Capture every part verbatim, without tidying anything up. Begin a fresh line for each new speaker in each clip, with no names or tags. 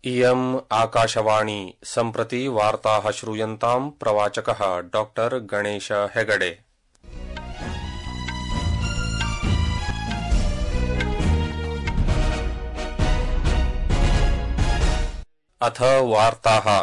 इयम् आकाशवाणी सम्प्रति वार्ताः श्रूयन्ताम् प्रवाचकः डॉक्टर गणेश हेगडे। अथ वार्ताः।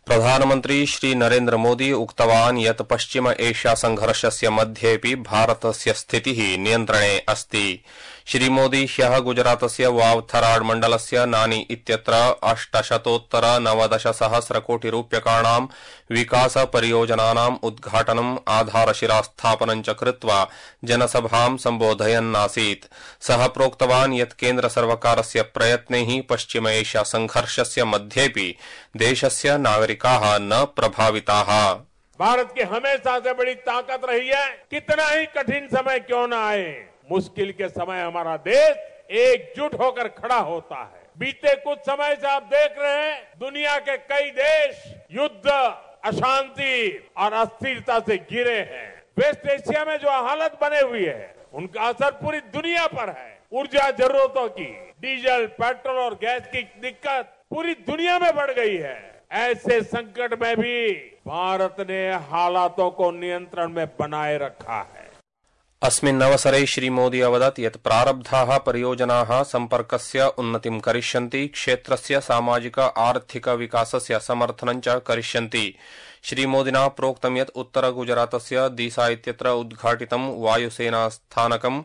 प्रधानमन्त्री श्री नरेन्द्र मोदी उक्तवान् यत् पश्चिम एशिया संघर्षस्य मध्येऽपि भारतस्य स्थितिः नियन्त्रणे अस्ति। श्री मोदी ह्यः गुजरातस्य वावथराड मण्डलस्य नानी इत्यत्र अष्टशतोत्तर नवदश सहस्र कोटि रूप्यकाणां विकास परियोजनानाम् उद्घाटनम् आधारशिलास्थापनं च कृत्वा जनसभां सम्बोधयन्नासीत्। सः प्रोक्तवान् यत् केन्द्र सर्वकारस्य प्रयत्नैः पश्चिम एशिया संघर्षस्य मध्येऽपि देशस्य नागरिकाः न प्रभाविताः।
भारत की हमेशा से बड़ी ताकत रही है, कितना ही कठिन समय क्यों न आए, मुश्किल के समय हमारा देश एकजुट होकर खड़ा होता है। बीते कुछ समय से आप देख रहे हैं, दुनिया के कई देश युद्ध, अशांति और अस्थिरता से घिरे हैं। वेस्ट एशिया में जो हालत बने हुई है, उनका असर पूरी दुनिया पर है। ऊर्जा जरूरतों की, डीजल, पेट्रोल और गैस की दिक्कत पूरी दुनिया में बढ़ गई है। ऐसे संकट में भी भारत ने हालातों को नियंत्रण में बनाए रखा है।
अस्मिन् अवसरे श्री मोदी अवदत् यत् प्रारब्धाः परियोजनाः सम्पर्कस्य उन्नतिं करिष्यन्ति, क्षेत्रस्य सामाजिक आर्थिक विकासस्य समर्थनं च करिष्यन्ति। श्री मोदिना प्रोक्तं यत् उत्तर गुजरातस्य दीसा इत्यत्र उद्घाटितं वायुसेनास्थानकं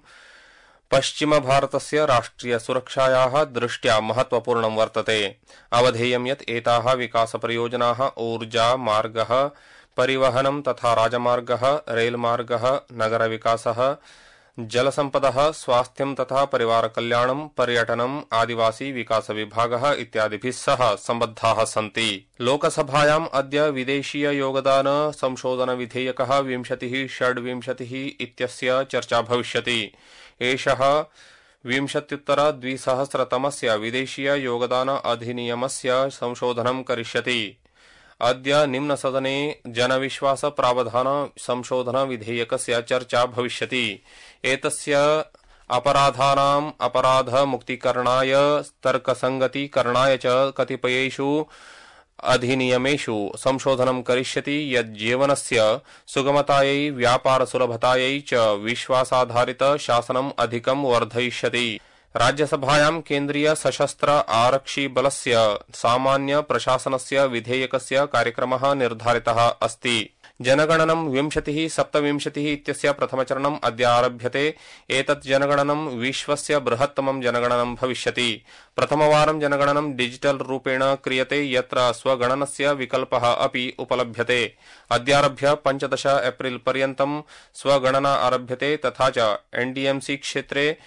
पश्चिम भारतस्य राष्ट्रिय सुरक्षायाः दृष्ट्या महत्वपूर्णं वर्तते। अवधेयं यत् एताः विकास परियोजनाः ऊर्जा, मार्गः, परिवहनं तथा राजमार्गः, रेलमार्गः, नगर विकासः, जलसम्पदः, स्वास्थ्यं तथा परिवार कल्याणं, पर्यटनम्, आदिवासी विकास विभागः इत्यादिभिः सह सम्बद्धाः सन्ति। लोकसभायाम् अद्य विदेशीय योगदान संशोधन विधेयकः विंशतिः षड्विंशतिः इत्यस्य चर्चा भविष्यति। एषः विंशत्युत्तर द्विसहस्रतमस्य विदेशीय योगदान अधिनियमस्य संशोधनं करिष्यति। अद्य निम्नसदने जनविश्वास प्रावधान संशोधन विधेयकस्य चर्चा भविष्यति। एतस्य अपराधानाम् अपराध मुक्तिकरणाय, तर्कसंगतीकरणाय च कतिपयेषु अधिनियमेषु संशोधनं करिष्यति यत् जीवनस्य सुगमतायै, व्यापार सुलभतायै च विश्वासाधारित शासनम् अधिकं वर्धयिष्यति। राज्यसभायां केन्द्रीय सशस्त्र आरक्षि बलस्य सामान्य प्रशासनस्य विधेयकस्य कार्यक्रमः निर्धारितः अस्ति। जनगणनं विंशतिः सप्तविंशतिः इत्यस्य प्रथमचरणम् अद्य आरभ्यते। एतत् जनगणनं विश्वस्य बृहत्तमं जनगणनं भविष्यति। प्रथमवारं जनगणनं डिजिटल रूपेण क्रियते, यत्र स्वगणनस्य विकल्पः अपि उपलभ्यते। अद्यारभ्य पञ्चदश एप्रिल पर्यन्तं स्वगणना आरभ्यते। तथा च एनडीएमसी क्षेत्रे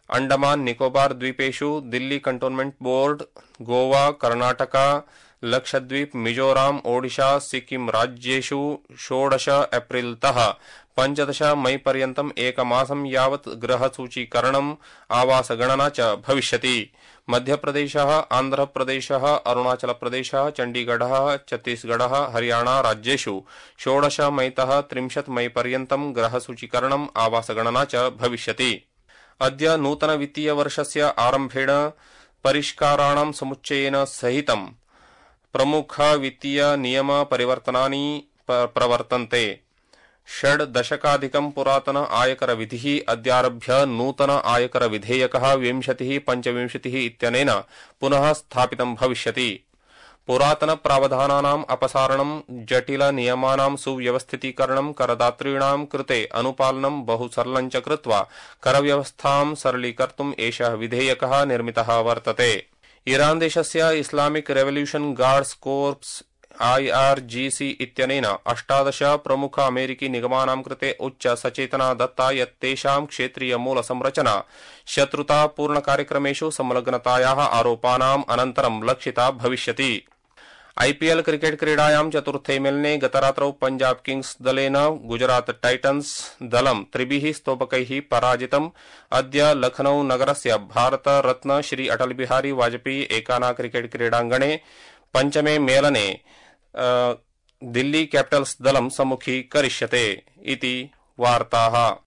अंडमान निकोबार द्वीपेषु दिल्ली कंटोनमेंट बोर्ड, गोवा, कर्णाटका, लक्षद्वीप, मिजोराम, ओडिशा, सिक्किम राज्येषु षोडश एप्रिलतः पञ्चदश मई पर्यन्तम् एकमासं यावत् गृहसूचीकरणम्, आवासगणना च भविष्यति। मध्यप्रदेशः, आन्ध्रप्रदेशः, अरुणाचलप्रदेशः, चण्डीगढः, छत्तीसगढः, हरियाणा राज्येषु षोडश मईतः त्रिंशत् मई पर्यन्तं गृहसूचीकरणम्, आवासगणना च भविष्यति। अद्य नूतन वित्तीय वर्षस्य आरम्भेण परिष्काराणां समुच्चयेन सहितं प्रमुख वित्तीय नियम परिवर्तनानि प्रवर्तन्ते। षड् दशकाधिकं पुरातन आयकर विधिः अद्यारभ्य नूतन आयकर विधेयकः विंशतिः पञ्चविंशतिः इत्यनेन पुनः स्थापितं भविष्यति। पुरातन प्रावधानानाम् अपसारणं, जटिल नियमानां सुव्यवस्थितीकरणं, करदातॄणां कृते अनुपालनं बहु सरलं च कृत्वा करव्यवस्थां सरलीकर्तुम् एषः विधेयकः निर्मितः वर्तते। ईरान देशस्य Islamic revolution guards corpse IRGC इत्यनेन अष्टादश प्रमुख अमेरिकी निगमानां कृते उच्च सचेतना दत्ता यत् तेषां क्षेत्रीय मूल संरचना शत्रुतापूर्ण कार्यक्रमेषु संलग्नतायाः आरोपानाम् अनन्तरं लक्षिता भविष्यति। आईपीएल क्रिकेट क्रीडायां चतुर्थे मेलने गतरात्रौ पंजाब किंग्स दलेन गुजरात टाइटन्स दलं त्रिभिः स्तोपकैः पराजितम्। अद्य लखनऊ नगरस्य भारत रत्न श्री अटल बिहारी वाजपेयी एकाना क्रिकेट क्रीडाङ्गणे पंचमे मेलने दिल्ली कैपिटल्स दलं सम्मुखीकरिष्यते इति वार्ताः।